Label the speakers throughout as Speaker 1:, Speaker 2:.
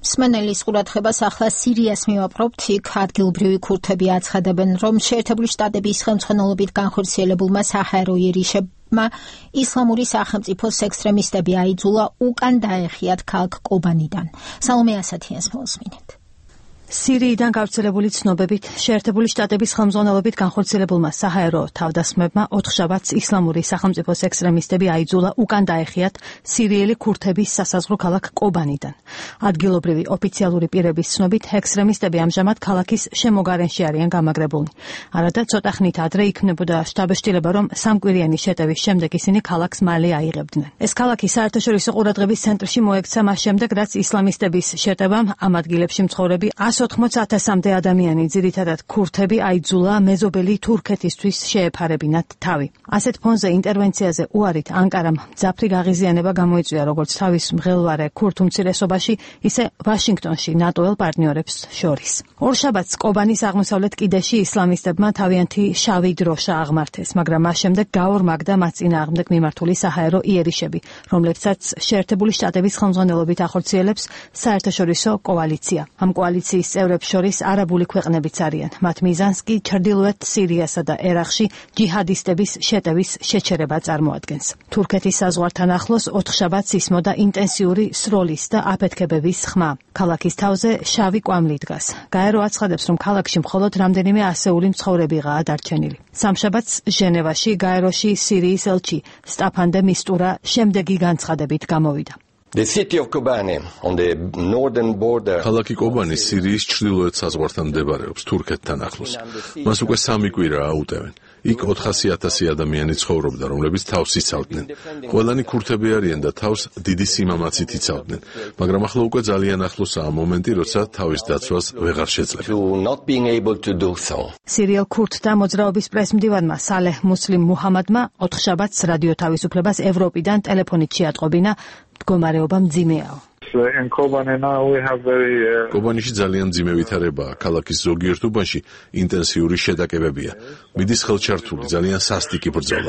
Speaker 1: მსმენელის ყურადღებას ახლა სირიას მივაპყრობთ. იქ ადგილობრივი ქურთები აცხადებენ, რომ შეერთებული შტატების ხელმძღვანელობით განხორციელებულმა საჰაერო იერიშებმა ისლამური სახელმწიფოს ექსტრემისტები აიძულა უკან დაეხიათ ქალაქ კობანიდან. სალომე ასათიანს მოვსმინეთ.
Speaker 2: სირიიდან გავრცელებული ცნობებით შეერთებული შტატების ხელმძღვანელობით განხორციელებულმა საჰაერო თავდასხმებმა ოთხშაბათს ისლამური სახელმწიფოს ექსტრემისტები აიძულა უკან დაეხიათ სირიელი ქურთების სასაზღვრო ქალაქ კობანიდან. ადგილობრივი ოფიციალური პირების ცნობით ექსტრემისტები ამჟამად ქალაქის შემოგარენში არიან გამაგრებულნი. არადა ცოტა ხნით ადრე იქმნებოდა შტაბ-შტილება, რომ სამკვირიანი შეტევის შემდეგ ისინი ქალაქს მალე აიღებდნენ. ეს ქალაქი საერთაშორისო ყურადღების ცენტრში მოექცა მას შემდეგ, რაც ისლამისტების შეტევამ ამ ადგილებში მცხოვრები 180,000-მდე ადამიანი, ძირითადად ქურთები, აიძულა მეზობელი თურქეთისთვის შეეფარებინათ თავი. ასეთ ფონზე ინტერვენციაზე უარით ანკარამ მძაფრი გაღიზიანება გამოიწვია როგორც თავის მღელვარე ქურთ უმცირესობაში, ისე ვაშინგტონში ნატოელ პარტნიორებს შორის. ორშაბათს კობანის აღმოსავლეთ კიდეში ისლამისტებმა თავიანთი შავი დროშა აღმართეს, მაგრამ მას შემდეგ გაორმაგდა მათ წინააღმდეგ მიმართული საჰაერო იერიშები, რომლებსაც შეერთებული შტატების ხელმძღვანელობით ახორციელებს საერთაშორისო კოალიცია. ამ კოალიციის წევრებს შორის არაბული ქვეყნებიც არიან. მათ მიზანს კი ჩრდილოეთ სირიასა და ერაყში ჯიჰადისტების შეტევის შეჩერება წარმოადგენს. თურქეთის საზღვართან ახლოს ოთხშაბათს ისმოდა ინტენსიური სროლის და აფეთქებების ხმა. ქალაქის თავზე შავი კვამლი დგას. გაერო აცხადებს, რომ ქალაქში მხოლოდ რამდენიმე ასეული მცხოვრებიღაა დარჩენილი. სამშაბათს ჟენევაში გაეროში სირიის ელჩი სტაფან დე მისტურა შემდეგი განცხადებით გამოვიდა.
Speaker 3: ქალაქი კობანი სირიის ჩრდილოეთ საზღვართან მდებარეობს, თურქეთთან ახლოს. მას უკვე 3 კვირაა უტევენ. იქ 400,000 ადამიანი ცხოვრობდა, რომლებიც თავს იცავდნენ. ყველანი ქურთები არიან და თავს დიდი სიმამაცით იცავდნენ, მაგრამ ახლა უკვე ძალიან ახლოსაა მომენტი, როცა თავის დაცვას ვეღარ შეძლებენ.
Speaker 2: სირიელ ქურთთა მოძრაობის პრესმდივანმა სალეჰ მუსლიმ მუჰამადმა ოთხშაბათს რადიო თავისუფლებას ევროპიდან ტელეფონით შეატყობინა, მდგომარეობა მძიმეაო.
Speaker 3: კობანიში ძალიან მძიმე ვითარებაა. ქალაქის ზოგიერთ უბანში ინტენსიური შეტაკებებია. მიდის ხელჩართული, ძალიან სასტიკი ბრძოლა.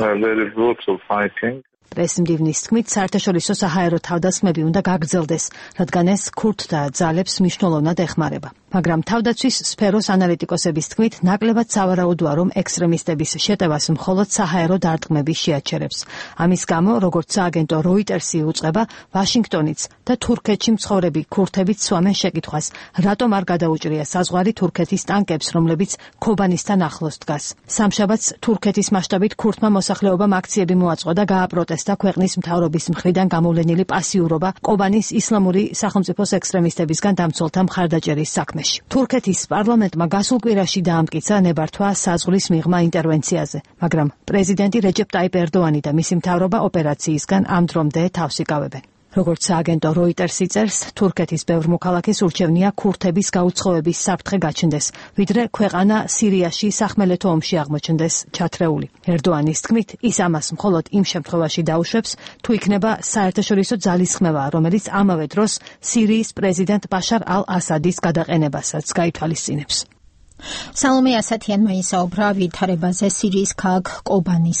Speaker 2: პრესმდივნის თქმით, საერთაშორისო საჰაერო თავდასხმები უნდა გაგრძელდეს, რადგან ეს ქურთთა ძალებს მნიშვნელოვნად ეხმარება. მაგრამ თავდაცვის სფეროს ანალიტიკოსების თქმით, ნაკლებად სავარაუდოა, რომ ექსტრემისტების შეტევას მხოლოდ საჰაერო დარტყმები შეაჩერებს. ამის გამო, როგორც სააგენტო როიტერსი უწყება, ვაშინგტონიც და თურქეთში მცხოვრები ქურთებიც სვამენ შეკითხვას, რატომ არ გადაუჭრია საზღვარი თურქეთის ტანკებს, რომლებიც ქობანისთან ახლოს დგას. სამშაბათს თურქეთის მასშტაბით ქურთმა მოსახლეობამ აქციები მოაწყო და გააპროტესტა ქვეყნის მთავრობის მხრიდან გამოვლენილი პასიურობა კობანის ისლამური სახელმწიფოს ექსტრემისტებისგან დამცველთა მხარდაჭერის საქმეში. თურქეთის პარლამენტმა გასულ კვირაში დაამტკიცა ნებართვა საზღვრის მიღმა ინტერვენციაზე, მაგრამ პრეზიდენტი რეჯეპ ტაიპ ერდოანი და მისი მთავრობა ოპერაციისგან ამ დრომდე თავს იკავებენ. როგორც სააგენტო როიტერსი წერს, თურქეთის ბევრ მოქალაქეს ურჩევნია ქურთების გაუცხოების საფრთხე გაჩნდეს, ვიდრე ქვეყანა სირიაში სახმელეთო ომში აღმოჩნდეს ჩათრეული. ერდოანის თქმით, ის ამას მხოლოდ იმ შემთხვევაში დაუშვებს, თუ იქნება საერთაშორისო ძალისხმევა, რომელიც ამავე დროს სირიის პრეზიდენტ ბაშარ ალ-ასადის გადაყენებასაც გაითვალისწინებს.
Speaker 1: სალომე ასათიანმა ისაუბრა ვითარებაზე სირიის ქალაქ კობანის